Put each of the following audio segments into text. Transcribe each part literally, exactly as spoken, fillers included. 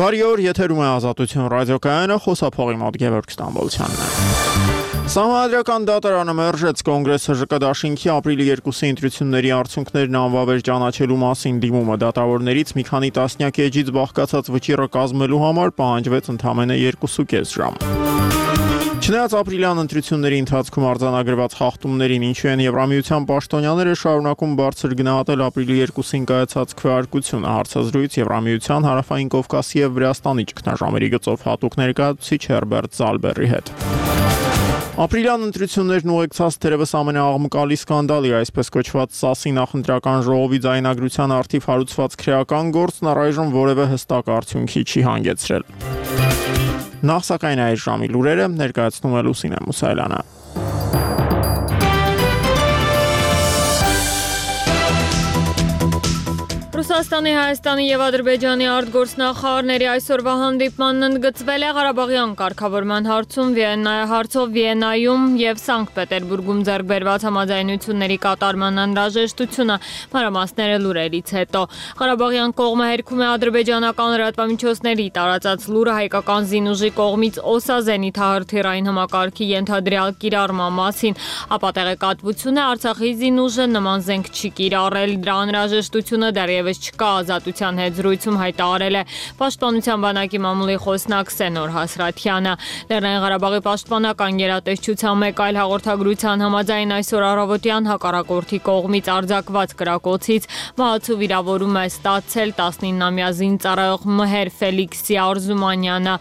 Բարի օր, եթերում է Ազատություն ռադիոկայանը, խոսափողի մոտ Գևորգ Ստամբոլցյանն է։ Սահմանադրական դատարանը մերժեց Կոնգրեսի ԺԿ դաշինքի ապրիլի երկուսի ընտրությունների արդյունքներն անվավեր ճանաչելու մասին դիմումը։ Դատավորներից մի քանի տասնյակ էջից բաղկացած վճիռը կազմելու համար պահանջվեց ընդամենը երկուսուկես ժամ։ Չնայած ապրիլյան ընտրությունների ընթացքում արձանագրված խախտումներին, ինչու են Եվրամիության պաշտոնյաները շարունակում բարձր գնահատել ապրիլի երկուսին կայացած քվեարկությունը, հարցազրույց Եվրամիության Հարավային Կովկասի և Վրաստանի ճգնաժամերի գծով հատուկ ներկայացուցիչ Հերբերտ Զալբերի հետ։ Ապրիլյան ընտրություններն ուղեկցած թերևս ամենաաղմկալի սկանդալի, այսպես կոչված ՍԱՍ-ի նախընտրական ժողովի ձայնագրության առթիվ հարուցված քրեական գործն առայժմ որևէ հստակ արդյունքի չի հանգեցրել։ Նախ սակայն այս ժամի լուրերը ներկայացնում է Լուսինե Մուսայելյանը։ Ռուսաստանի, Հայաստանի և Ադրբեջանի արտգործնախարարների այսօրվա հանդիպմանն ընդգծվել է Ղարաբաղյան կարգավորման հարցում, հարցով Վիեննայում և Սանկտ Պետերբուրգում ձեռք բերված համաձայնությունների կատարման անհրաժեշտությունը, մանրամասները լուրերից հետո։ Ղարաբաղյան կողմը հերքում է ադրբեջանական լրատվամիջոցների տարածած լուրը հայկական զինուժի կողմից Օսա զենիթահրթիռային համակարգի ենթադրյալ կիրառման մասին, ապա տեղեկատվություն է Արցախի զինուժը նման զենք չի կիրառել, դրա անհրաժեշտությունը դեռևս չկա, Ազատության հետ զրույցում հայտարարել է Պաշտպանության բանակի մամուլի խոսնակ Սենոր Հասրաթյանը։ Լեռնային Ղարաբաղի պաշտպանական գերատեսչության մեկ այլ հաղորդագրության համաձայն այսօր առավոտյան հակառակորդի կողմից արձակված կրակոցից մահացու վիրավորում է ստացել տասնիննամյա զինծառայող Մհեր Ֆելիքսի Արզումանյանը։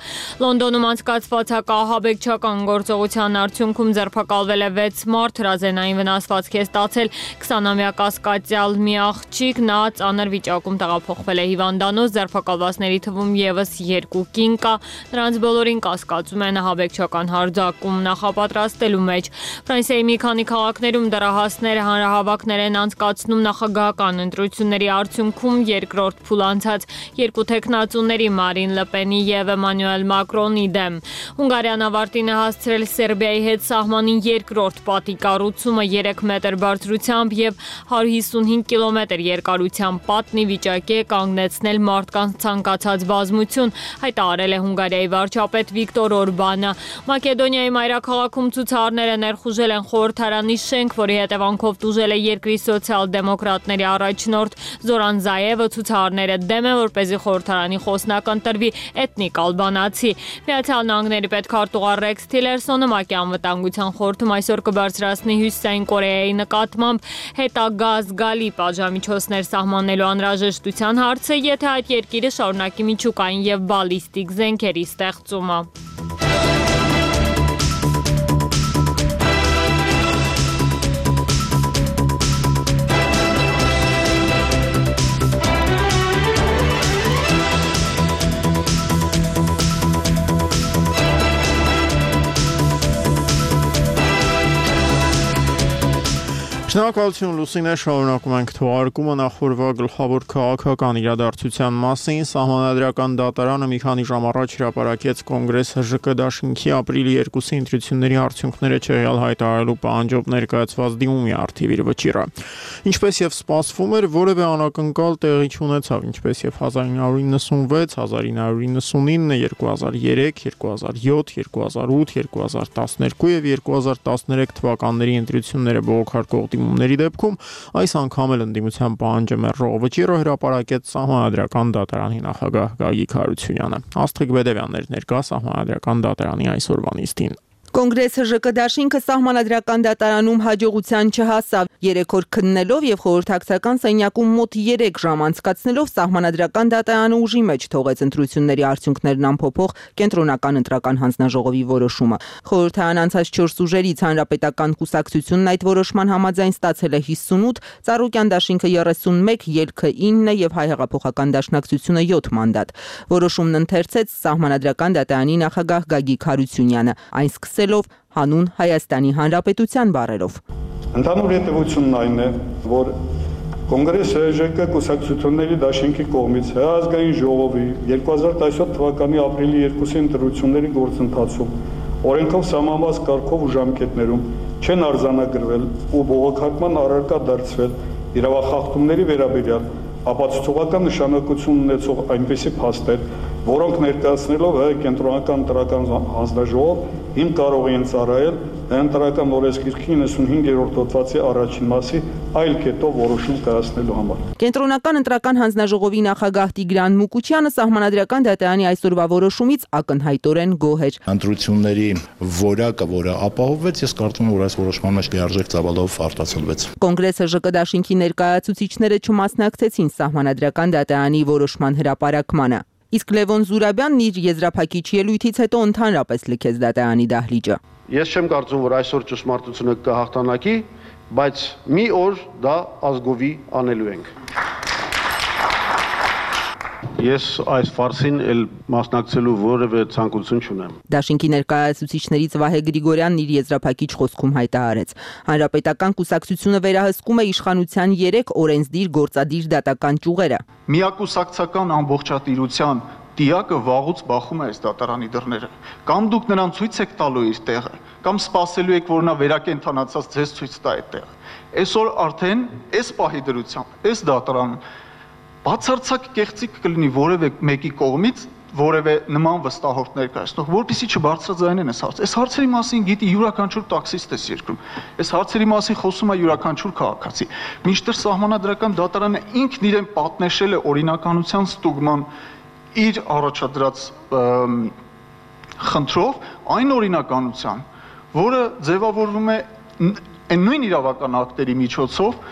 Լոնդոնում անցկացված հակաահաբեկչական գործողության արդյունքում ձերբակալվել է վեց մարդ, հրազենային վնասվածք է ստացել քսանամյա կասկածյալ մի աղջիկ, նա ծանր վիճակում տեղափոխվել է հիվանդանոց, ձերբակալվածների թվում ևս երկու կին կա, նրանց բոլորին կասկածում են ահաբեկչական հարձակում նախապատրաստելու մեջ։ Ֆրանսիայի մի քանի քաղաքներում դեռահասները հանրահավաքներ են անցկացնում նախագահական ընտրությունների արդյունքում երկրորդ փուլ անցած երկու թեկնածուների Մարին Լպենի և Էմանուել Մակրոնի դեմ։ Հունգարիան ավարտին է հասցրել Սերբիայի հետ սահմանին երկրորդ պատի կառուցումը երեք մետր բարձրությամբ և հարյուր հիսունհինգ կիլոմետր երկարությամբ պատնի վիճակի է կանգնեցնել մարդկանց ցանկացած բազմություն, հայտարարել է Հունգարիայի վարչապետ Վիկտոր Օրբանը։ Մակեդոնիայի մայրաքաղաքում ցուցարարները ներխուժել են խորհրդարանի շենք, որի հետևանքով տուժել է երկրի սոցիալ-դեմոկրատների առաջնորդ Զորան Զայևը։ Ցուցարարները դեմ են, որպեսզի խորհրդարանի խոսնակ ընտրվի էթնիկ ալբանացի։ Միացյալ Նահանգների պետքարտուղար Ռեքս Թիլերսոնը ՄԱԿ-ի անվտանգության խորհրդում այսօր կբարձրացնի Հյուսիսային Կորեայի նկատմամբ հետագա զգալի պատժամիջոցներ սահմանելու անհրաժեշտության հարցը, եթե այդ երկիրը շարունակի միջուկային և բալիստիկ զենքերի ստեղծումը։ Շնորհակալություն Լուսինե, շարունակում ենք թողարկումը նախորդ գլխավոր քաղաքական իրադարձության մասին։ Սահմանադրական դատարանը մի քանի ժամ առաջ հրապարակեց Կոնգրեսի ԺԿ դաշինքի ապրիլի երկուսի ընտրությունների արդյունքները չեղյալ հայտարարելու պահանջով ներկայացված դիմումի առթիվ իր վճիռը։ Ինչպես եւ սպասվում էր, որևէ անակնկալ տեղի չունեցավ, ինչպես եւ հազար ինը հարյուր իննսունվեց, հազար ինը հարյուր իննսունինը, երկու հազար երեք, երկու հազար յոթ, երկու հազար ութ, երկու հազար տասներկու եւ երկու հազար տասներեք թվականների ընտրությունները բողոքարկող դիմումների դեպքում այս անգամ էլ ընդդիմության պահանջը մերժող վճիռը հրապարակեց Սահմանադրական դատարանի նախագահ Գագիկ Հարությունյանը։ Աստղիկ Բեդևյանն էր ներկա Սահմանադրական դատարանի այսօրվա նիստին։ Կոնգրեսի ԺԿ դաշինքը Սահմանադրական դատարանում հաջողության չհասավ։ Երեք օր քննելով եւ խորհրդակցական սենյակում մոտ երեք ժամ անցկացնելով Սահմանադրական դատարանը ուժի մեջ թողեց ընտրությունների արդյունքներն անփոփոխ կենտրոնական ընտրական հանձնաժողովի որոշումը։ Խորհրդարան անցած չորս ուժերից Հանրապետական կուսակցությունն այդ որոշման համաձայն ստացել է հիսունութ, Ծառուկյան դաշինքը երեսունմեկ, Ելքը ինը եւ Հայ հեղափոխական դաշնակցությունը յոթ մանդատ։ Որոշումն ընթերցեց Սահմանադրական դատարանի նախագահ Գագիկ Հարությունյանը, այն սկսելով հանուն Հայաստանի Հանրապետության բառերով։ Ընդհանուր հետևությունն այն է, որ Կոնգրեսի ԺԿ կուսակցությունների դաշինքի կողմից Հայազգային ժողովի երկու հազար տասնյոթ թվականի ապրիլի երկուսի ընտրությունների գործընթացում օրենքով սահմանված կարգով ու ժամկետներում չեն արձանագրվել ու բողոքարկման առարկա դարձվել իրավախախտումների վերաբերյալ ապացուցողական նշանակություն ունեցող այնպիսի փաստեր, որոնք ներկայացնելով հայ կենտրոնական ընտրական հանձնաժողով իմ կարող են ծառայել Ընտրական օրենսգիրքի իննսունհինգերորդ հոդվածի առաջին մասի այլ կետով որոշում կայացնելու համար։ Կենտրոնական ընտրական հանձնաժողովի նախագահ Տիգրան Մուկուչյանը սահմանադրական դատարանի այսօրվա որոշումից ակնհայտորեն գոհ էր։ Ընտրությունների որակը, որը ապահովվեց, ես կարծում եմ, որ այս որոշման մեջ լիարժեք ծավալով արտացոլվեց։ Կոնգրեսը ԺԿ դաշինքի ներկայացուցիչները չմասնակցեցին սահմանադրական դատարանի որոշման հրապարակմանը։ Իսկ Լևոն Զուրաբյանն իր եզրափակիչ ելույթից հետո ընդհանրապես լքեց դատարանի դահլիճը։ Ես չեմ կարծում, որ այսօր ճշմարտությունը կհաղթանակի, բայց մի օր դա ազգովի անելու ենք։ Ես այս ֆարսին էլ մասնակցելու որևէ ցանկություն չունեմ։ Դաշինքի ներկայացուցիչներից Վահե Գրիգորյանն իր եզրափակիչ խոսքում հայտարարեց. Հանրապետական կուսակցությունը վերահսկում է իշխանության երեք օրենսդիր գործադիր դատական ճյուղերը։ Միակուսակցական ամբողջատիրության տիակը վաղուց բախում է այս դատարանի դռները։ Կամ դուք նրան ցույց եք տալու իր տեղը, կամ սպասելու եք, որ նա վերակենդանացած ձեզ ցույց տա այդ տեղը։ Այսօր արդեն այս պահի դրությամբ, այս դատարանում բացարձակ կեղծիք կլինի որևէ մեկի կողմից որևէ նման վստահորդ ներկայացնող, որպեսզի չբարձրաձայնեն այս հարցը։ Այս հարցերի մասին գիտի յուրաքանչյուր տաքսիստ էս երկրում։ Այս հարցերի մասին խոսում է յուրաքանչյուր քաղաքացի։ Մինչդեռ սահմանադրական դատարանը ինքն իրեն պատնեշել է օրինականության ստուգման իր առաջադրած խնդրով այն օրինականության, որը ձևավորվում է այն նույն իրավական ակտերի միջոցով,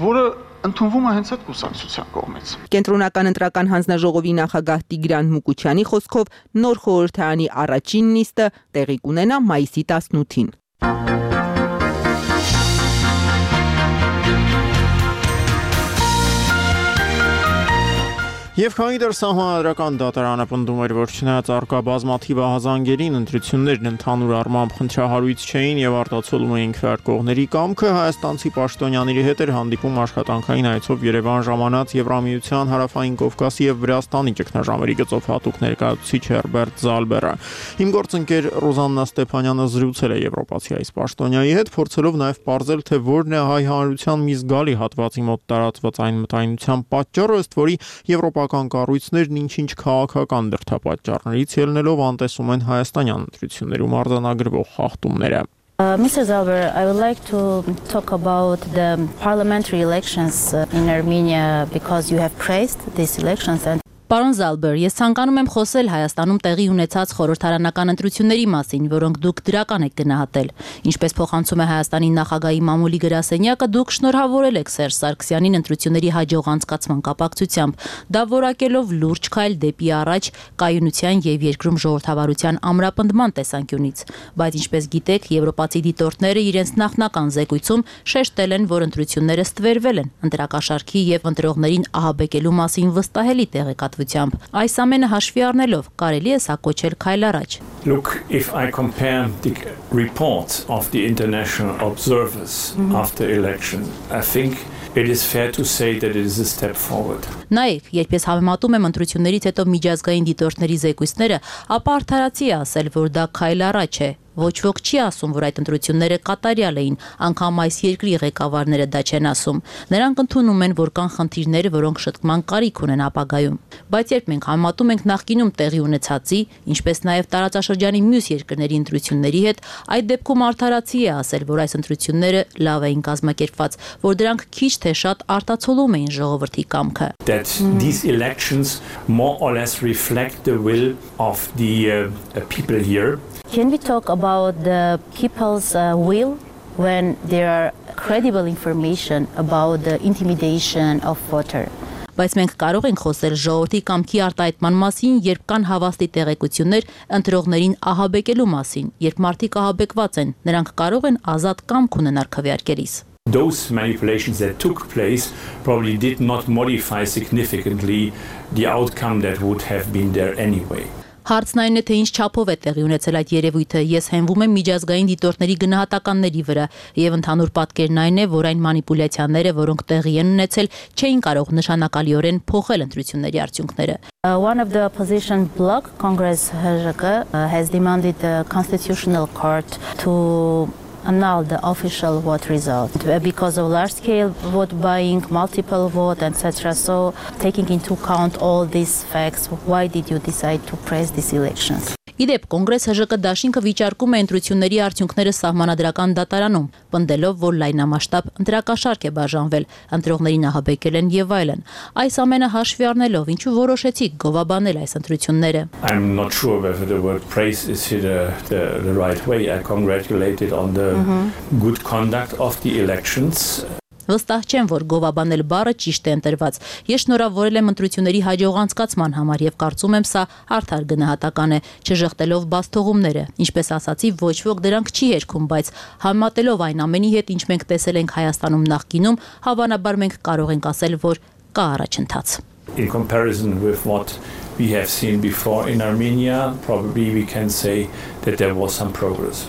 որը ընդունվում է հենց այդ կուսակցության կողմից։ Կենտրոնական ընտրական հանձնաժողովի նախագահ Տիգրան Մուկուչյանի խոսքով նոր խորհրդարանի առաջին նիստը տեղի կունենա մայիսի տասնութին։ Եվ քանի դեռ սահմանադրական դատարանը պնդում էր, որ չնայած առկա բազմաթիվ ահազանգերին, ընտրություններն ընդհանուր առմամբ խնդրահարույց չէին եւ արտացոլում էին քվեարկողների կամքը, հայաստանցի պաշտոնյաների հետ էր հանդիպում աշխատանքային այցով Երևան ժամանած Եվրամիության Հարավային Կովկասի եւ Վրաստանի ճգնաժամերի գծով հատուկ ներկայացուցիչ Հերբերտ Զալբերը։ Իմ գործընկեր Ռոզաննա Ստեփանյանը զրուցել է եվրոպացի այս պաշտոնյայի հետ, փորձելով նաեւ պարզել, թե որն է հայ հանրության մի զգալի հատվածի մոտ տարածված այն մտայնության պատճառը, ըստ որի եվրոպական կառույցներն ինչ-ինչ քաղաքական դրդապատճառներից ելնելով անտեսում են հայաստանյան ընտրություններում արձանագրվող խախտումները։ Uh, Mister Zalber, I would like to talk about the parliamentary elections in Armenia because you have praised these elections and Պարոն Զալբեր, ես ցանկանում եմ խոսել Հայաստանում տեղի ունեցած խորհրդարանական ընտրությունների մասին, որոնք դուք դրական եք գնահատել։ Ինչպես փոխանցում է Հայաստանի նախագահի մամուլի գրասենյակը, դուք շնորհավորել եք Սերժ Սարգսյանին ընտրությունների հաջող անցկացման կապակցությամբ, դա որակելով լուրջ քայլ դեպի առաջ կայունության եւ երկրում ժողովրդավարության ամրապնդման տեսանկյունից։ Բայց ինչպես գիտեք, եվրոպացի դիտորդները իրենց նախնական զեկույցում շեշտել են, որ ընտրությունները ստվերվել են, ընտրակաշարքի եւ ընտրողներին ահաբեկելու մասին վստահելի տեղեկատվությամբ։ Այս ամենը հաշվի առնելով կարելի է սա կոչել քայլ առաջ։ Look, if I compare the reports of the international observers mm-hmm. after election, I think it is fair to say that it is a step forward. Նայեք, երբ ես համեմատում եմ ընտրություններից հետո միջազգային դիտորդների զեկույցները, ապա արդարացի է ասել, որ դա քայլ առաջ է։ Ոչ ոք չի ասում, որ այդ ընտրությունները կատարյալ էին, անգամ այս երկրի ղեկավարները դա չեն ասում։ Նրանք ընդունում են, որ կան խնդիրներ, որոնք շտկման կարիք ունեն ապագայում։ Բայց երբ մենք համատում ենք նախկինում տեղի ունեցածի, ինչպես նաև տարածաշրջանի մյուս երկրների ընտրությունների հետ, այդ դեպքում արդարացի է ասել, որ այս ընտրությունները լավ էին կազմակերպված, որ դրանք քիչ թե շատ արտացոլում էին ժողովրդի կամքը։ That these elections more or less reflect the will of the uh, people here. Can we talk about the people's uh, will when there are credible information about the intimidation of voter? Բայց մենք կարող ենք խոսել ժողովրդի կամքի արտահայտման մասին, երբ կան հավաստի տեղեկություններ ընտրողներին ահաբեկելու մասին, երբ մարդիկ ահաբեկված են, նրանք կարող են ազատ կամք ունենալ քվեարկելիս։ Those manipulations that took place probably did not modify significantly the outcome that would have been there anyway. Հարցն այն է, թե ինչ չափով է տեղի ունեցել այդ երևույթը։ Ես հենվում եմ միջազգային դիտորդների գնահատականների վրա, եւ ընդհանուր պատկերն այն է, որ այն մանիպուլյացիաները, որոնք տեղի են ունեցել, չէին կարող նշանակալիորեն փոխել ընտրությունների արդյունքները։ Uh, one of the opposition bloc, Congress H J K, uh, has demanded the Constitutional Court to annul the official vote result because of large-scale vote buying, multiple vote, et cetera. So, taking into account all these facts, why did you decide to press these elections? Իդեպ կոնգրես Հ Ժ Կ դաշինքը վիճարկում է ընտրությունների արդյունքները սահմանադրական դատարանում, պնդելով, որ լայնամասշտաբ ընտրակաշարք է բաժանվել, ընտրողներին ահաբեկել են եւ այլն։ Այս ամենը հաշվի առնելով, ինչու որոշեցիք գովաբանել այս ընտրությունները։ I'm not sure whether the word praise is here the, the, the right way. I congratulated on the mm-hmm. good conduct of the elections. Վստահ չեմ, որ գովաբանել բառը ճիշտ է ընտրված։ Ես շնորհավորել եմ ընտրությունների հաջող անցկացման համար եւ կարծում եմ սա արդար գնահատական է, չժխտելով բացթողումները։ Ինչպես ասացի, ոչ ոք դրանք չի երգում, բայց համատելով այն ամենի հետ, ինչ մենք տեսել ենք Հայաստանում նախկինում, հավանաբար մենք կարող ենք ասել, որ կա առաջընթաց։ In comparison with what we have seen before in Armenia, probably we can say that there was some progress.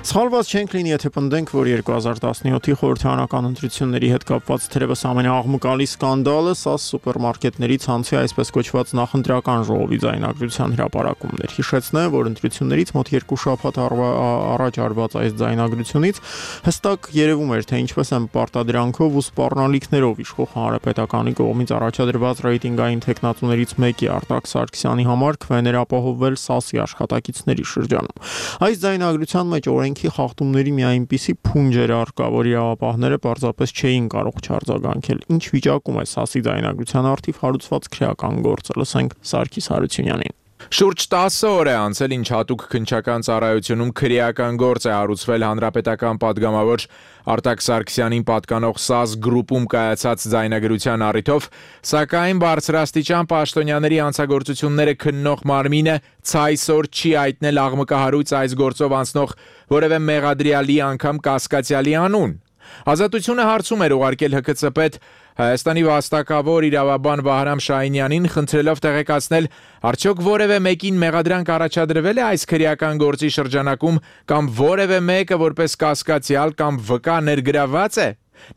Սխալված չենք լինի, եթե պնդենք, որ երկու հազար տասնյոթի խորհրդարանական ընտրությունների հետ կապված թերևս ամենաաղմկալի սկանդալը սա սուպերմարկետների ցանցի այսպես կոչված նախընտրական ժողովի ձայնագրության հրապարակումն էր։ Հիշեցնեմ, որ ընտրություններից մոտ երկու շաբաթ առաջ արված այս ձայնագրությունից հստակ երևում էր, թե ինչպես են պարտադրանքով ու սպառնալիքներով իշխող հանրապետականի կողմից առաջադրված ռեյտինգային տեխնատուներից մեկի Արտակ Սարգսյանի համար քվեներ ապահովվել ՍԱՍ-ի աշխատակիցների շրջանում։ Այս ձայնագրության մեջ օրենք խախտումների մի այնպիսի փունջ էր առկա, որ իրավապահները պարզապես չէին կարող չարձագանքել։ Ինչ վիճակում է ՍԱՍ-ի ձայնագրության արդիվ հարուցված քրեական գործը, լսենք Սարգիս Հարությունյանին։ Շուրջ տասը օր է անցել, ինչ հատուկ քննչական ծառայությունում քրեական գործ է հարուցվել հանրապետական падգամավոր Արտակ Սարգսյանին պատկանող ՍԱՍ գրուպում կայացած ձայնագրության առիթով, սակայն բարձրաստիճան պաշտոնյաների հանցագործությունները քննող մարմինը ցայսօր չի հայտնել աղմկահարույց այս գործով անցնող որևէ մեղադրյալի անգամ կասկածյալի անուն։ Ազատությունը հարցում էր ուղարկել Հ K C պետ Հայաստանի վաստակավոր իրավաբան Վահրամ Շահինյանին, խնդրելով տեղեկացնել, արդյոք որևէ մեկին մեղադրանք առաջադրվել է այս քրեական գործի շրջանակում կամ որևէ մեկը որպես կասկածյալ կամ վկա ներգրավված է։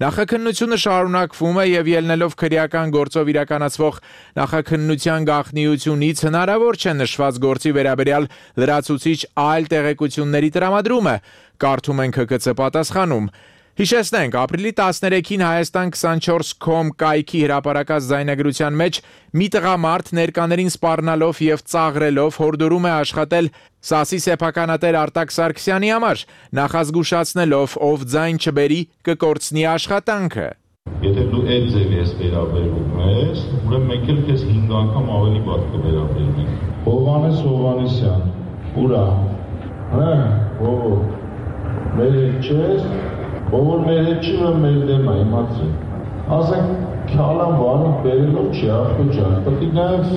Նախաքննությունը շարունակվում է եւ ելնելով քրեական գործով իրականացվող նախաքննության գաղտնիությունից հնարավոր չէ նշված գործի վերաբերյալ լրացուցիչ այլ տեղեկությունների տրամադրումը, կարդում ենք Հ K C պատասխանում։ Հիշեցնենք, ապրիլի տասներեքին Հայաստան քսանչորս կոմ կայքի հրապարակած ձայնագրության մեջ մի տղամարդ ներկաներին սպառնալով եւ ծաղրելով հորդորում է աշխատել ՍԱՍ-ի սեփականատեր Արտակ Սարգսյանի համար, նախազգուշացնելով, ով ձայն չբերի, կկորցնի աշխատանքը։ Եթե դու այդ ձևի ես վերաբերվում ես, ուրեմն մենք էլ քեզ հինգ անգամ ավելի վատ կվերաբերվենք։ Հովհաննես Հովհաննիսյան, ուրա։ Հա, ո՞վ։ Մեր չես Ով մեր հետ չի որ մեր դեմ է, իմացի։ Ասենք քալան վարում բերելով չի ախոջար, պետք է նաև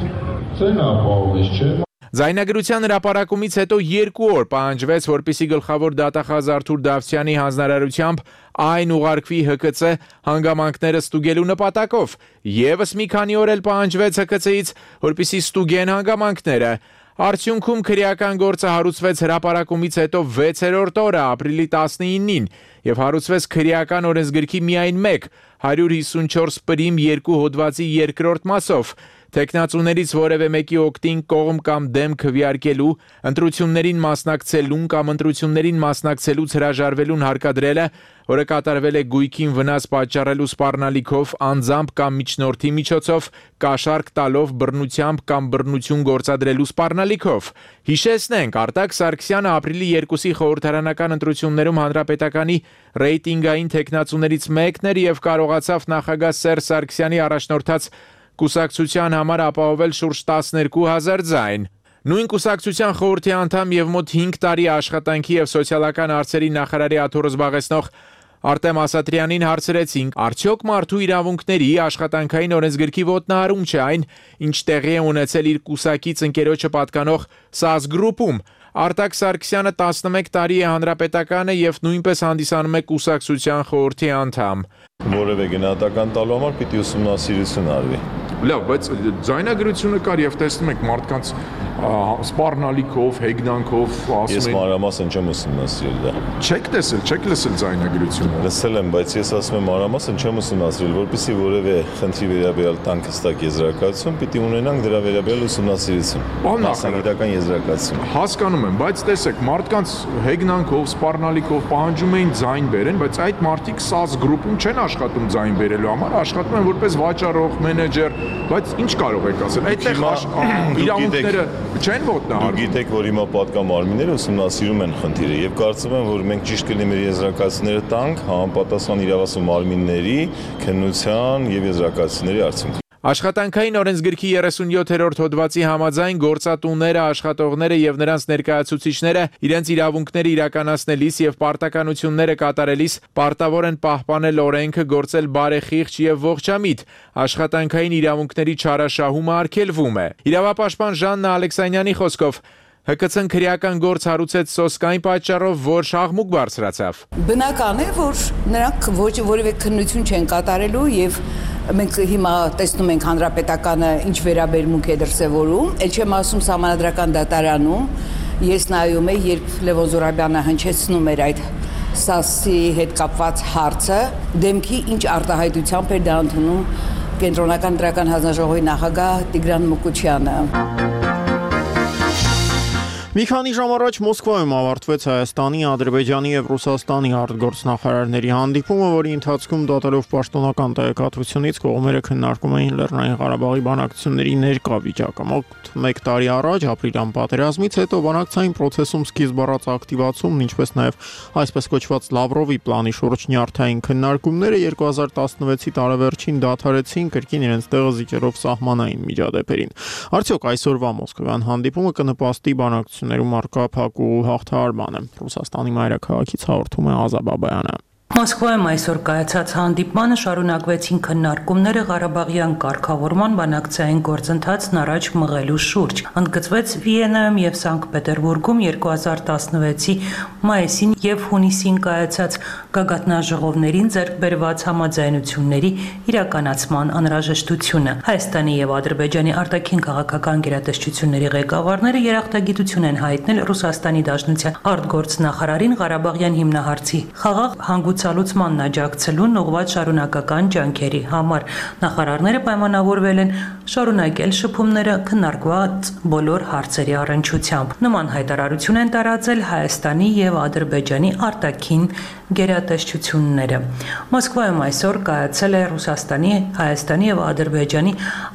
ցեն ապահովես, չէ՞։ Ձայնագրության հրապարակումից հետո երկու օր պահանջվեց, որպեսզի գլխավոր դատախազ Արթուր Դավթյանի հանձնարարությամբ այն ուղարկվի Հ K C հանգամանքները ստուգելու նպատակով, եւս մի քանի օր էլ պահանջվեց Հ K C-ից, որպեսզի ստուգեն հանգամանքները։ Արդյունքում քրեական գործը հարուցվեց հրապարակումից հետո վեցերորդ օրը ապրիլի տասնինին եւ հարուցվեց քրեական օրենսգրքի միայն մեկ հարյուր հիսունչորս պրիմ երկու հոդվածի երկրորդ մասով։ Տեխնացուներից որևէ մեկի օգտին կողմ կամ դեմ քվեարկելու, ընտրություններին մասնակցելուն կամ ընտրություններին մասնակցելուց հրաժարվելուն հարկադրելը, որը կատարվել է գույքին վնաս պատճառելու սպառնալիքով, անձամբ կամ միջնորդի միջոցով, կաշառք տալով, բռնությամբ կամ բռնություն գործադրելու սպառնալիքով։ Հիշեցնենք, Արտակ Սարգսյանը ապրիլի երկուսի խորհրդարանական ընտրություններում հանրապետականի ռեյտինգային տեխնացուներից մեկն էր եւ կարողացավ նախագահ Սերժ Սարգսյանի առաջնորդած կուսակցության համար ապահովել շուրջ տասներկու հազար ձայն։ Նույն կուսակցության խորհրդի անդամ եւ մոտ հինգ տարի աշխատանքի եւ սոցիալական հարցերի նախարարի աթոռը զբաղեցնող Արտեմ Ասատրյանին հարցրեցինք, արդյոք մարդու իրավունքների աշխատանքային օրենսգրքի ոտնահարում չէ այն, ինչ տեղի է ունեցել իր կուսակից ընկերոջը պատկանող ՍԱՍ գրուպում։ Արտակ Սարգսյանը տասնմեկ տարի է հանրապետականը եւ նույնպես հանդիսանում է կուսակցության խորհրդի անդամ։ Որևէ գնահատական տալու համար պիտի ուսումնասիրություն արվի։ Լավ, բայց ձայնագրությունը կար եւ տեսնում եք մարդկանց սպառնալիքով, հեգնանքով, ասում Ես են մանրամասն չեմ ուսումնասիրել դա։ Չեք տեսել, չեք լսել ձայնագրությունը։ Լսել եմ, բայց ես ասում եմ մանրամասն չեմ ուսումնասիրել, որպեսզի որևէ խնդրի վերաբերյալ տանք հստակ եզրակացություն, պիտի ունենանք դրա վերաբերյալ ուսումնասիրություն։ Մասնագիտական եզրակացություն։ Հասկանում եմ, բայց տեսեք, մարդկանց հեգնանքով, սպառնալիքով պահանջում էին ձայն բերեն, բայց այդ մարդիկ սաս գրուպում չեն աշխատում ձայն բերելու համար, աշխատում են որպես վաճառող, մենեջեր, բայց ինչ կարող եք ասել։ Այդտեղ իրավունքները չեն ոտնահարվում։ Գիտեք, որ հիմա պատգամարմինները ուսումնասիրում են խնդիրը եւ կարծում եմ, որ մենք ճիշտ կլինի մեր եզրակացությունները տանք համապատասխան իրավասու մարմինների քննության եւ եզրակացությունների արդյունքում։ Աշխատանքային օրենսգրքի երեսունյոթերորդ հոդվածի համաձայն գործատուները, աշխատողները եւ նրանց ներկայացուցիչները իրենց իրավունքները իրականացնելիս եւ պարտականությունները կատարելիս պարտավոր են պահպանել օրենքը, գործել բարեխիղճ եւ ողջամիտ։ Աշխատանքային իրավունքների չարաշահումը արգելվում է։ Իրավապաշտպան Ժաննա Ալեքսանյանի խոսքով Հ Կ Ց-ն քրեական գործ հարուցեց սոսկային պատճառով, որ շահմուկ բարձրացավ։ Բնական է, որ նրանք ոչ որևէ քննություն չեն կատարելու եւ մենք հիմա տեսնում ենք հանրապետականը ինչ վերաբերմունք է դրսևորում, ել չեմ ասում սահմանադրական դատարանում, ես նայում եմ, երբ Լևոն Զուրաբյանը հնչեցնում էր այդ սասի հետ կապված հարցը, դեմքի ինչ արտահայտությամբ էր դա ընդունում Կենտրոնական դրական հանձնաժողովի նախագահ Տիգրան Մուկուչյանը։ Մի քանի ժամ առաջ Մոսկվայում ավարտվեց Հայաստանի, Ադրբեջանի եւ Ռուսաստանի արտգործնախարարների հանդիպումը, որի ընթացքում դատելով պաշտոնական տեղեկատվությունից կողմերը քննարկում էին Լեռնային Ղարաբաղի բանակցությունների ներկա վիճակը։ Մոտ մեկ տարի առաջ ապրիլյան պատերազմից հետո բանակցային process-ում սկիզբ առած ակտիվացումն, ինչպես նաեւ այսպես կոչված Լավրովի պլանի շուրջ նյարդային քննարկումները երկու հազար տասնվեցի տարեվերջին դադարեցին կրկին իրենց տեղը զիջելով սահմանային միջադեպերին։ Արդյոք այսօրվա մոսկովյան հանդիպումը կնպաստի բանակցություններում առկա փակուղու հաղթահարմանը։ Ռուսաստանի մայրաքաղաքից հաղորդում է Ազա Բաբայանը։ Մոսկվայում այսօր կայացած հանդիպմանը շարունակվեցին քննարկումները Ղարաբաղյան կարգավորման բանակցային գործընթացն առաջ մղելու շուրջ։ Ընդգծվեց Վիեննայում եւ Սանկտ Պետերբուրգում երկու հազար տասնվեցի մայիսին եւ հունիսին կայացած գագաթնաժողովներին ձեռք բերված համաձայնությունների իրականացման անհրաժեշտությունը։ Հայաստանի եւ Ադրբեջանի արտաքին քաղաքական գերատեսչությունների ղեկավարները երախտագիտություն են հայտնել Ռուսաստանի Դաշնության արտգործնախարարին Ղարաբաղյան հիմնահարցի խաղաղ հանգուցալուծմանն աջակցելուն ուղղված շարունակական ջանքերի համար։ Նախարարները պայմանավորվել են շարունակել շփումները քննարկված բոլոր հարցերի առնչությամբ։ Նման հայտարարություն են տարածել Հայաստանի եւ Ադրբեջանի արտաքին գերատեսչությունները։ Մոսկվայում այսօր կայացել է Ռուսաստանի, Հայաստանի եւ Ադրբեջանի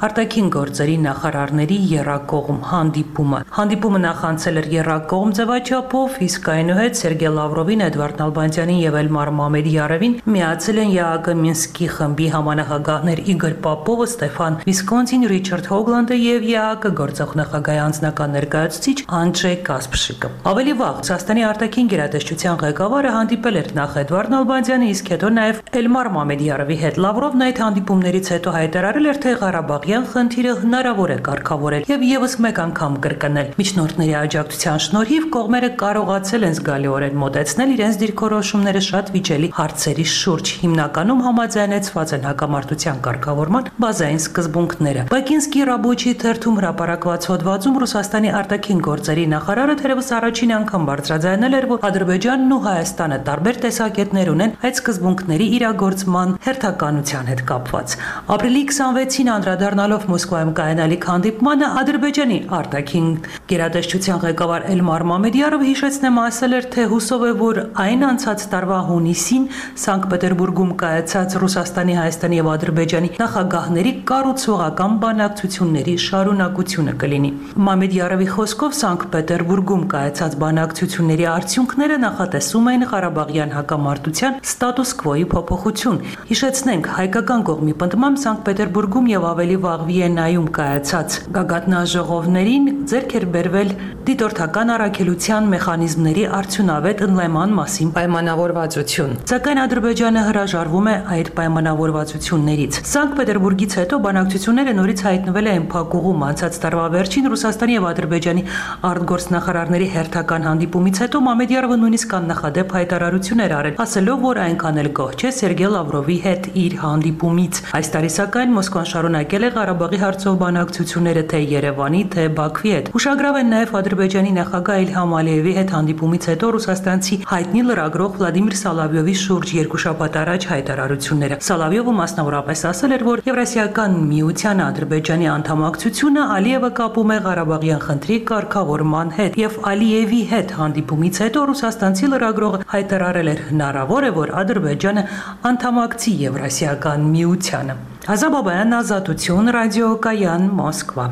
արտաքին գործերի նախարարների եռակողմ հանդիպումը։ Հանդիպումը նախանցել էր եռակողմ ձևաչափով, իսկ այնուհետ Սերգեյ Լավրովին, Էդվարդ Նալբանդյանին եւ Էլմար Մամեդյարովին միացել են ԵԱՀԿ Մինսկի խմբի համանախագահներ Իգոր Պապովը, Ստեփան Վիսկոնցին, Ռիչարդ Հոգլանդը եւ ԵԱՀԿ գործող նախագահի անձնական ներկայացուցիչ Անդրեյ Կասպրշիկը։ Ավելի վաղ Ռուսաստանի արտաքին գերատեսչության ղեկավարը հանդիպել էր նախ Էդվարդ Նալբանդյանի, իսկ հետո նաեւ Էլմար Մամեդյարովի հետ։ Լավրովն այդ հանդիպումներից հետո հայտարարել էր, թե Ղարաբաղյան խնդիրը հնարավոր է կարգավորել եւ եւս մեկ անգամ կրկնել։ Միջնորդների աջակցության շնորհիվ կողմերը կարողացել են զգալիորեն մոտեցնել իրենց դիրքորոշումները շատ վիճելի հարցերի շուրջ, հիմնականում համաձայնեցված են հակամարտության կարգավորման բազային սկզբունքները։ Բակինսկի Ռաբոչի թերթում հրապարակված հոդվածում Ռուսաստանի արտաքին գործերի նախարարը թերևս առաջին անգամ բարձրաձայնել էր, որ Ադրբեջանն ու Հայաստանը տարբեր տեսակետներ ունեն այդ սկզբունքների իրագործման հերթականության հետ կապված։ Ապրիլի քսանվեցին անդրադառնալով Մոսկվայում կայանալիք հանդիպմանը Ադրբեջանի արտաքին գերատեսչության ղեկավար Էլմար Մամեդյարովը հիշեցնեմ ասել էր, թե հուսով է, որ այն անցած տարվա հունիսին Սանկտ Պետերբուրգում կայացած Ռուսաստանի, Հայաստանի եւ Ադրբեջանի նախագահների կառուցողական բանակցությունների շարունակությունը կլինի։ Մամեդյարովի խոսքով Սանկտ Պետերբուրգում կայացած բանակցությունների արդյունքները նախատեսում են Ղարաբաղյան հակամարտության ստատուս քվոյի փոփոխություն։ Հիշեցնենք, հայկական կողմի պնդմամբ Սանկտ Պետերբուրգում եւ ավելի վաղ Վիեննայում կայացած գագաթնաժողովներին ձեռք էր բերվել դիտորդական առաքելության մեխանիզմների արդյունավետ ընդլայնման մասին պայմանավորվածություն։ Սակայն Ադրբեջանը հրաժարվում է այդ պայմանավորվածություններից։ Սանկտ Պետերբուրգից հետո բանակցությունները նորից հայտնվել են փակուղում։ Անցած տարվա վերջին Ռուսաստանի եւ Ադրբեջանի արտգործնախարարների հերթական հանդիպումից հետո Մամեդյարովը նույնիսկ աննախադեպ հայտարարություններ արել, ասելով, որ այնքան էլ գոհ չէ Սերգեյ Լավրովի հետ իր հանդիպումից։ Այս տարի սակայն Մոսկվան շարունակել է Ղարաբաղի հարցով բանակցությունները թե Երևանի, թե Բաքվի հետ։ Ուշագրավ են նաև Ադրբեջանի նախագահ Իլհամ Ալիևի հետ հանդիպումից հետո ռուսաստանցի հայտնի լրագրող Վլադիմիր Սալավյովի շուրջ երկու շաբաթ առաջ հայտարարությունները։ Սալավյովը մասնավորապես ասել էր, որ Եվրասիական միության Ադրբեջանի անդամակցությունը Ալիևը կապում է Ղարաբաղյան խնդրի կարգավորման հետ եւ Ալիևի հետ հանդիպումից հետո ռուսաստանցի լրագրողը հայտարարել էր հնարավոր է, որ Ադրբեջանը անդամակցի Եվրասիական միությանը։ Ազա Բաբայան, Ազատություն, ռադիոկայան, Մոսկվա։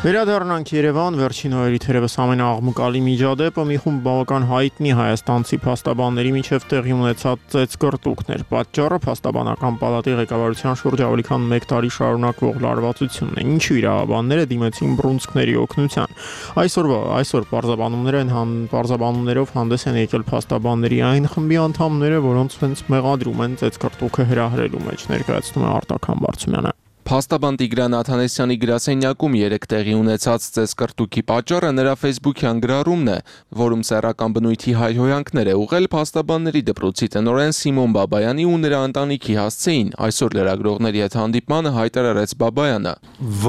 Վերադառնանք Երևան, վերջին օրերի թերևս ամենաաղմկալի միջադեպը մի խումբ բավական հայտնի հայաստանցի փաստաբանների միջև տեղի ունեցած ծեծկռտուքներ։ Պատճառը փաստաբանական պալատի ղեկավարության շուրջ ավելի քան մեկ տարի շարունակվող լարվածությունն է։ Ինչու իրավաբանները դիմեցին բռունցքների օգնության։ Այսօրվա այսօր պարզաբանումներ են հան պարզաբանումներով հանդես են եկել փաստաբանների այն խմբի անդամները, որոնց հենց մեղադրում են ծեծկռտուքը հրահրելու մեջ, ներկայացնում է Արտական Բարծումյանը։ Փաստաբան Տիգրան Աթանեսյանի գրասենյակում երեք տեղի ունեցած ծեծկռտուքի պատճառը նրա Facebook-յան գրառումն է, որում սեռական բնույթի հայհոյանքներ է ուղղել փաստաբանների դպրոցի տնօրեն Սիմոն Բաբայանի ու նրա ընտանիքի հասցեին։ Այսօր լրագրողների հետ հանդիպմանը հայտարարեց Բաբայանը.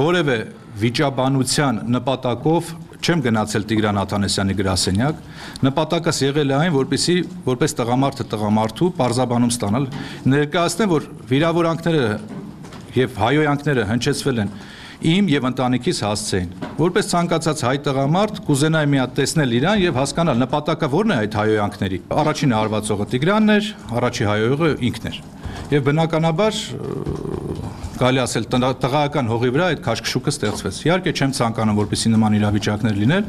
Որևէ վիճաբանության նպատակով չեմ գնացել Տիգրան Աթանեսյանի գրասենյակ, նպատակս եղել է այն, որպեսզի որպես տղամարդը տղամարդու պարզաբանում ստանալ, ներկայացնեմ, որ վիրավորանքները եւ հայոյանքները հնչեցվել են իմ եւ ընտանիքիս հասցեին։ Որպես ցանկացած հայ տղամարդ կուզենայի մի հատ տեսնել իրան եւ հասկանալ նպատակը որն է այդ հայոյանքների։ Առաջին հարվածողը Տիգրանն էր, առաջի հայոյողը ինքն էր։ Եվ բնականաբար կարելի ասել տղայական հողի վրա այդ քաշքշուկը ստեղծվեց։ Իհարկե չեմ ցանկանում, որպեսզի նման իրավիճակներ լինեն,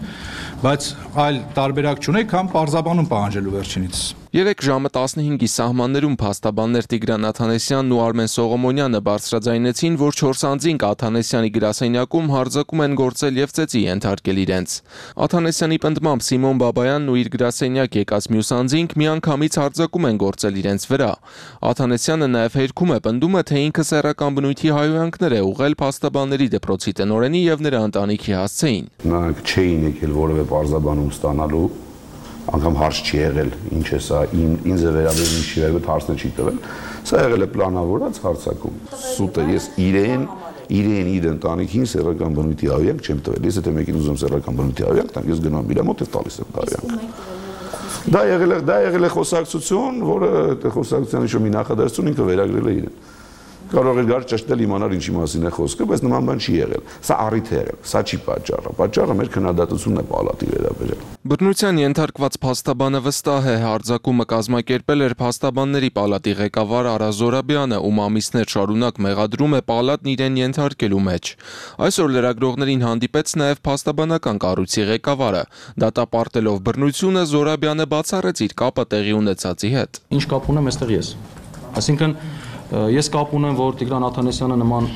բայց այլ տարբերակ չունեի, քան պարզաբանում պահանջելու վերջինից։ Երեք ժամը տասնհինգի սահմաններում փաստաբաններ Տիգրան Աթանեսյանն ու Արմեն Սողոմոնյանը բարձրաձայնեցին, որ չորս անձինք Աթանեսյանի գրասենյակում հարձակում են գործել եւ ծեծի ենթարկել իրենց։ Աթանեսյանի պնդմամբ Սիմոն Բաբայանն ու իր գրասենյակ եկած մյուս անձինք միանգամից հարձակում են գործել իրենց վրա։ Աթանեսյանը նաեւ հերքում է պնդում է, թե ինքը սեռական բնույթի հայոյանքներ է ուղղել փաստաբանների դպրոցի տնօրենի եւ նրա ընտանիքի հասցեին։ Նրանք չէին եկել որևէ պարզաբանում ստանալու, անգամ հարց չի եղել, ինչ է սա, ինձ է վերաբերում, ինչի վերաբերում հարցը չի տվել։ Սա եղել է պլանավորած հարձակում։ Սուտ է, ես իրեն, իրեն իր ընտանիքին սեռական բնույթի հայոյանք չեմ տվել։ Ես եթե մեկին ուզում սեռական բնույթի հայոյանք տամ, ես գնում եմ իր մոտ եւ տալիս եմ հայոյանք։ Դա եղել է, դա եղել է խոսակցություն, որը այդ խոսակցության ինչ-որ մի նախադասություն ինքը վերագրել է իրեն։ Կարող է գար ճշտել իմանալ ինչի մասին է խոսքը, բայց նման բան չի եղել։ Սա առիթ է եղել, սա չի պատճառը։ Պատճառը մեր քննադատությունն է պալատի վերաբերյալ։ Բռնության ենթարկված փաստաբանը վստահ է, հարձակումը կազմակերպել էր փաստաբանների պալատի ղեկավար Արա Զորաբյանը, ում ամիսներ շարունակ մեղադրում է պալատն իրեն ենթարկելու մեջ։ Այսօր լրագրողներին հանդիպեց նաև փաստաբանական կառույցի ղեկավարը։ Դատապարտելով բռնությունը Զորաբյանը բացառեց իր կապը տեղի ունեցածի հետ։ Ինչ կապ ունեմ այստեղ ես։ Այսինքն ես կապ ունեմ, որ Տիգրան Աթանեսյանը նման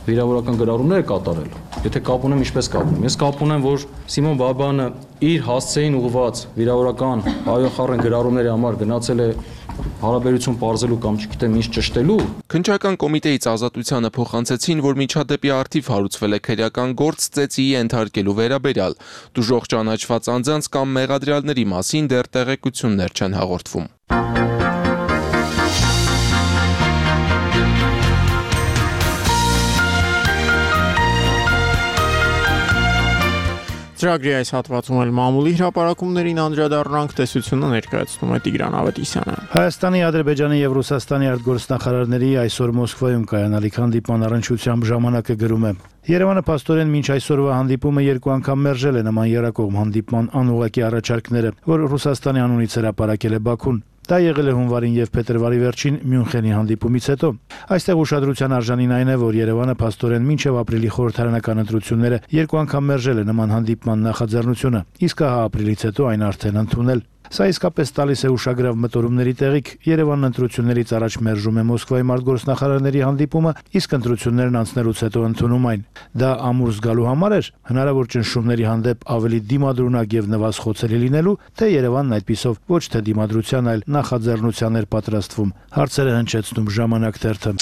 վիրավորական գրառումներ է կատարել։ Եթե կապ ունեմ, ինչպես կապ ունեմ։ Ես կապ ունեմ, որ Սիմոն Բաբայանը իր հասցեին ուղղված վիրավորական հայոխառն գրառումների համար գնացել է հարաբերություն պարզելու կամ չգիտեմ ինչ ճշտելու։ Քննչական կոմիտեից Ազատությանը փոխանցեցին, որ միջադեպի առթիվ հարուցվել է քրեական գործ ծեծի ենթարկելու վերաբերյալ։ Դժոխք ճանաչված անձանց կամ մեղադրյալների մասին դեռ տեղեկություններ չեն հաղորդվում։ Ծրագրի այս հատվածում էլ մամուլի հրապարակումներին անդրադառնանք, տեսությունը ներկայացնում է Տիգրան Ավետիսյանը։ Հայաստանի, Ադրբեջանի եւ Ռուսաստանի արտգործնախարարների այսօր Մոսկվայում կայանալիք հանդիպման առնչությամբ ժամանակը գրում է. Երևանը փաստորեն մինչ այսօրվա հանդիպումը երկու անգամ մերժել է նման երակողմ հանդիպման անուղղակի առաջարկները, որ Ռուսաստանի անունից հրապարակել է Բաքուն։ Դա եղել է հունվարին եւ փետրվարի վերջին Մյունխենի հանդիպումից հետո։ Այստեղ ուշադրության արժանին այն է, որ Երևանը փաստորեն մինչև ապրիլի խորհրդարանական ընտրությունները երկու անգամ մերժել է նման հանդիպման նախաձեռնությունը, իսկ հա ապրիլից հետո այն արդեն ընդունել։ Սա իսկապես տալիս է ուշագրավ մտորումների տեղիք։ Երևանն ընտրություններից առաջ մերժում է Մոսկվայի արտգործնախարարների հանդիպումը, իսկ ընտրություններն անցնելուց հետո ընդունում այն։ Դա ամուր զգալու համար էր հնարավոր ճնշումների հանդեպ ավելի դիմադրունակ եւ նվազխոցելի լինելու, թե Երևանն այդպիսով ոչ թե դիմադրության, այլ նախաձեռնության էր պատրաստվում։ Հարցերը հնչեցնում Ժամանակ թերթը։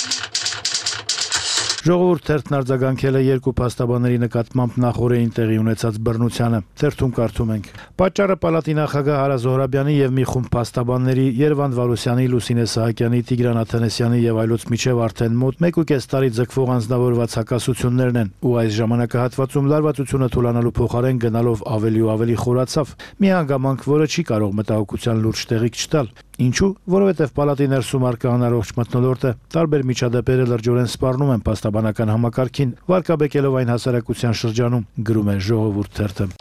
Ժողովուրդ թերթն արձագանքել է երկու փաստաբանների նկատմամբ նախօրեին տեղի ունեցած բռնությանը։ Թերթում կարդում ենք. Պատճառը պալատի նախագահ Արա Զոհրաբյանի եւ մի խումբ փաստաբանների Երվանդ Վարուսյանի, Լուսինե Սահակյանի, Տիգրան Աթանեսյանի եւ այլոց միջև արդեն մոտ մեկ ու կես տարի ձգվող անձնավորված հակասություններն են, ու այս ժամանակահատվածում լարվածությունը թույլանալու փոխարեն գնալով ավելի ու ավելի խորացավ։ Մի հանգամանք, որը չի կարող մտահոգության լուրջ տեղիք չտալ։ Ինչու՞, որովհետև պալատի ներսում արկա անառողջ մթնոլորտը տարբեր միջադեպերը լրջորեն սպառնում են փաստաբանական համակարգին, վարկաբեկելով այն հասարակության շրջանում, գրում է Ժողովուրդ թերթը։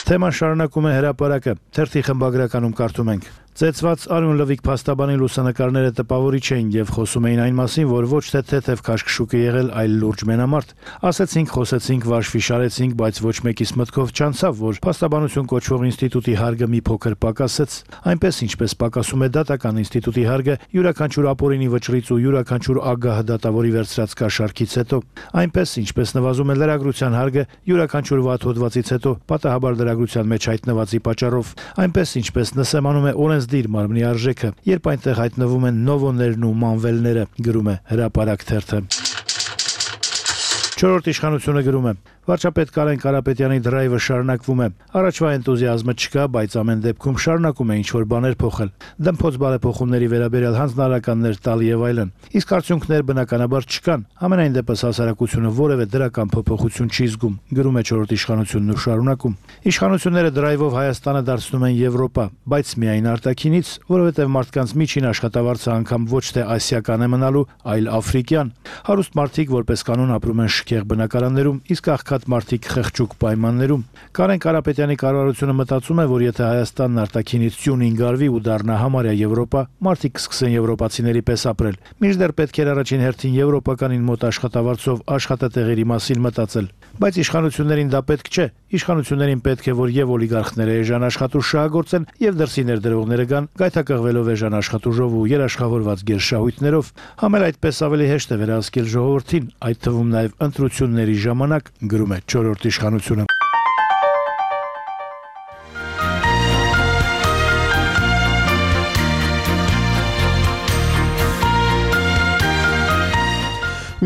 Թեման շարունակում է հրապարակը։ Թերթի խմբագրականում կարդում ենք. Ծեծված Արյուն Լվիկ փաստաբանի լուսանկարները տպավորիչ էին եւ խոսում էին այն մասին, որ ոչ թե թեթև քաշքշուկ է եղել, այլ լուրջ մենամարտ։ Ասեցինք, խոսեցինք, վարշվի շարեցինք, բայց ոչ մեկիս մտքով չանցավ, որ փաստաբանություն կոչվող ինստիտուտի հարգը մի փոքր պակասեց։ Այնպես ինչպես պակասում է դատական ինստիտուտի հարգը յուրաքանչյուր ապօրինի վճռից ու յուրաքանչյուր ագահ դատավորի վերցրած կաշառքից հետո, այնպես ինչպես նվազում է լրագրության հարգը յուրաքանչյուր վատ հոդվածից հետո պատահաբար լրագրության մեջ հայտնվածի պատճառով, այնպես ինչպես նսեմանում է օրենսդիր մարմնի արժեքը, երբ այնտեղ հայտնվում են նովոներն ու մանվելները, գրում է Հրապարակ թերթը։ Չորրորդ իշխանությունը գրում է. Վարչապետ Կարեն Կարապետյանի դրայվը շարունակվում է։ Առաջվա էնտուզիազմը չկա, բայց ամեն դեպքում շարունակում է ինչ-որ բաներ փոխել։ Դմփոց բարեփոխումների վերաբերյալ հանձնարարականներ տալ եւ այլն։ Իսկ արդյունքներ բնականաբար չկան։ Ամենայն դեպս հասարակությունը որևէ դրական փոփոխություն չի զգում, գրում է չորրորդ իշխանությունն ու շարունակում։ Իշխանությունները դրայվով Հայաստանը դարձնում են Եվրոպա, բայց միայն արտաքինից, որովհետեւ մարդկանց միջին աշխատավարձը անգամ ոչ թե ասիական է մնալու, այլ աֆրիկյան։ Հարուստ մարդիկ որպես կանոն ապրում են շքեղ բնակարաններում, իսկ աղքատ մարդիկ խղճուկ պայմաններում։ Կարեն Կարապետյանի կառավարությունը մտածում է, որ եթե Հայաստանն արտաքինից ծյունին գարվի ու դառնա համարյա Եվրոպա, մարդիկ կսկսեն եվրոպացիների պես ապրել։ Մինչդեռ պետք էր առաջին հերթին եվրոպականին մոտ աշխատավարձով աշխատատեղերի մասին մտածել։ Բայց իշխանություններին դա պետք չէ։ Իշխանություններին պետք է, որ եւ օլիգարխները էժան աշխատուժ շահագործեն, եւ դրսի ներդրողները գան գայթակղվելով էժան աշխատուժով ու երաշխավորված գերշահույթներով։ Համել այդպես ավելի հեշտ է վերահսկել ժողովրդին, այդ թվում նաեւ ընտրությունների ժամանակ, գրում է չորրորդ իշխանությունը։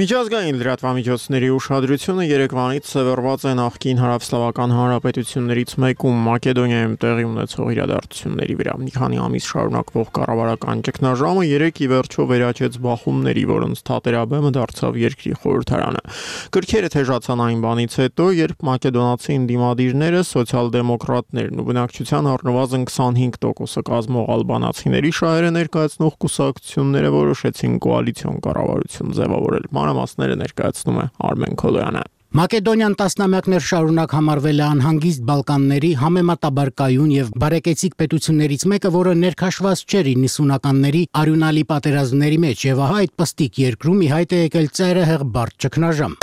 Միջազգային լրատվամիջոցների ուշադրությունը Երևանից սևեռված է նախկին հարավսլավական հանրապետություններից մեկում Մակեդոնիայում տեղի ունեցող իրադարձությունների վրա։ Մի քանի ամիս շարունակվող կառավարական ճգնաժամը երեք ի վերջո վերաճեց բախումների, որոնց թատերաբեմը դարձավ երկրի խորհրդարանը։ Գրքերը թեժացան այն բանից հետո, երբ մակեդոնացի ընդդիմադիրները, սոցիալ-դեմոկրատներն ու բնակչության առնվազն քսանհինգ տոկոսը կազմող ալբանացիների շահերը ներկայացնող կուսակցությունները որոշեցին կոալիցիոն կառավարություն ձևավորել։ Մանրամասները ներկայացնում է Արմեն Քոլոյանը։ Մակեդոնիան տասնամյակներ շարունակ համարվել է անհանգիստ Բալկանների համեմատաբար կայուն եւ բարեկեցիկ պետություններից մեկը, որը ներքաշված չէր իննսունականների արյունալի պատերազմների մեջ, եւ ահա այդ պստիկ երկրում ի հայտ է եկել ծայրահեղ բարդ ճգնաժամ։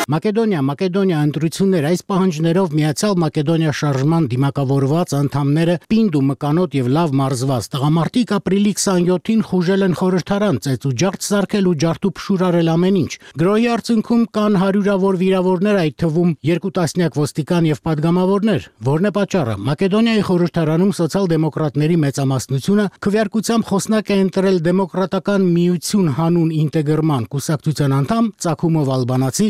Մակեդոնիա, Մակեդոնիա ընտրություններ այս պահանջներով միացյալ Մակեդոնիա շարժման դիմակավորված անդամները պինդ ու մկանոտ եւ լավ մարզված տղամարդիկ ապրիլի քսանյոթին խուժել են խորհրդարան, ծեծ ու ջարդ սարքել ու ջարդու փշուրարել ամեն ինչ։ Գրոհի արդյունքում կան հարյուրավոր վիրավորներ, այդ թվում երկու տասնյակ ոստիկան եւ падգամավորներ։ Որն է պատճառը։ Մակեդոնիայի խորհրդարանում սոցիալ-դեմոկրատների մեծամասնությունը քվեարկությամբ խոսնակ է ընտրել դեմոկրատական միություն հանուն ինտեգրման կուսակցության անդամ Ծակումով ալբանացի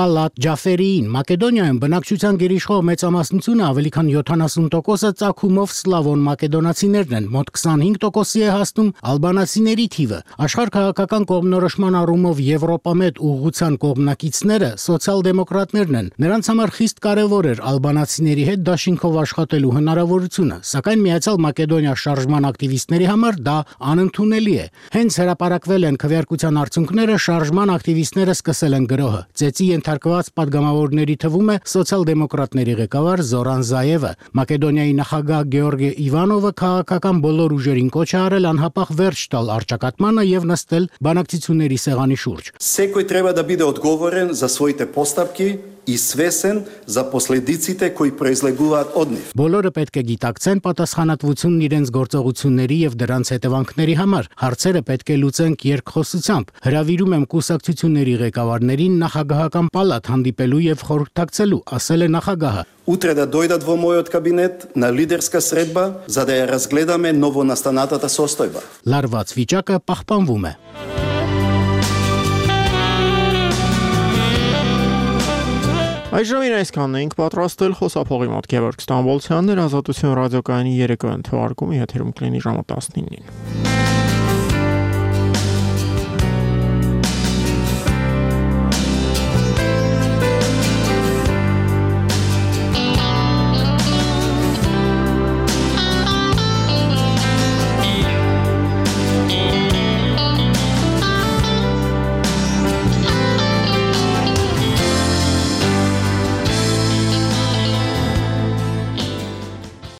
Տալատ Ջաֆերիին։ Մակեդոնիայում բնակչության գերիշխող մեծամասնությունը ավելի քան յոթանասուն տոկոսը Ծակումով սլավոն մակեդոնացիներն են, մոտ քսանհինգ տոկոսի է հասնում ալբանացիների թիվը։ Աշխարհ քաղաքական կողմնորոշման առումով Եվրոպամետ ուղղության կողմնակիցները սոցիալ-դեմոկրատներն են։ Նրանց համար խիստ կարևոր էր ալբանացիների հետ դաշինքով աշխատելու հնարավորությունը, սակայն Միացյալ Մակեդոնիա շարժման ակտիվիստների համար դա անընդունելի է։ Հենց հրապարակվել են քվեարկության արդյունքները, շարժման ակտիվիստները սկսել են գրոհը։ Ծեծի ենթարկված падգամավորների թվում է սոցիալ-դեմոկրատների ղեկավար Զորան Զայևը։ Մակեդոնիայի նախագահ Գեորգի Իվանովը քաղաքական բոլոր ուժերին կոչ է արել անհապաղ վերջ տալ առճակատմանը եւ նստել բանակցությունների սեղանի շուրջ։ Секој треба да биде одговорен за своите постапки и свесен за последиците кои произлегуваат од нив. Բոլորը պետք է գիտակցեն պատասխանատվությունն իրենց գործողությունների եւ դրանց հետևանքների համար։ Հարցերը պետք է լուծենք երկխոսությամբ։ Հրավիրում եմ կուսակցությունների ղեկավարներին նախագահական պալատ հանդիպելու եւ խորհրդակցելու, ասել է նախագահը։ Утре да дојдат во мојот кабинет на лидерска средба за да ја разгледаме новонастанатата состојба. Լարված վիճակը պահպանվում է։ Այժմ այսքանն ենք պատրաստել խոսափողի մոտ Գևորգ Ստամբոլցյանն էր Ազատություն ռադիոկայանի երեկոյան թողարկումը եթերում կլինի ժամը տասնինին։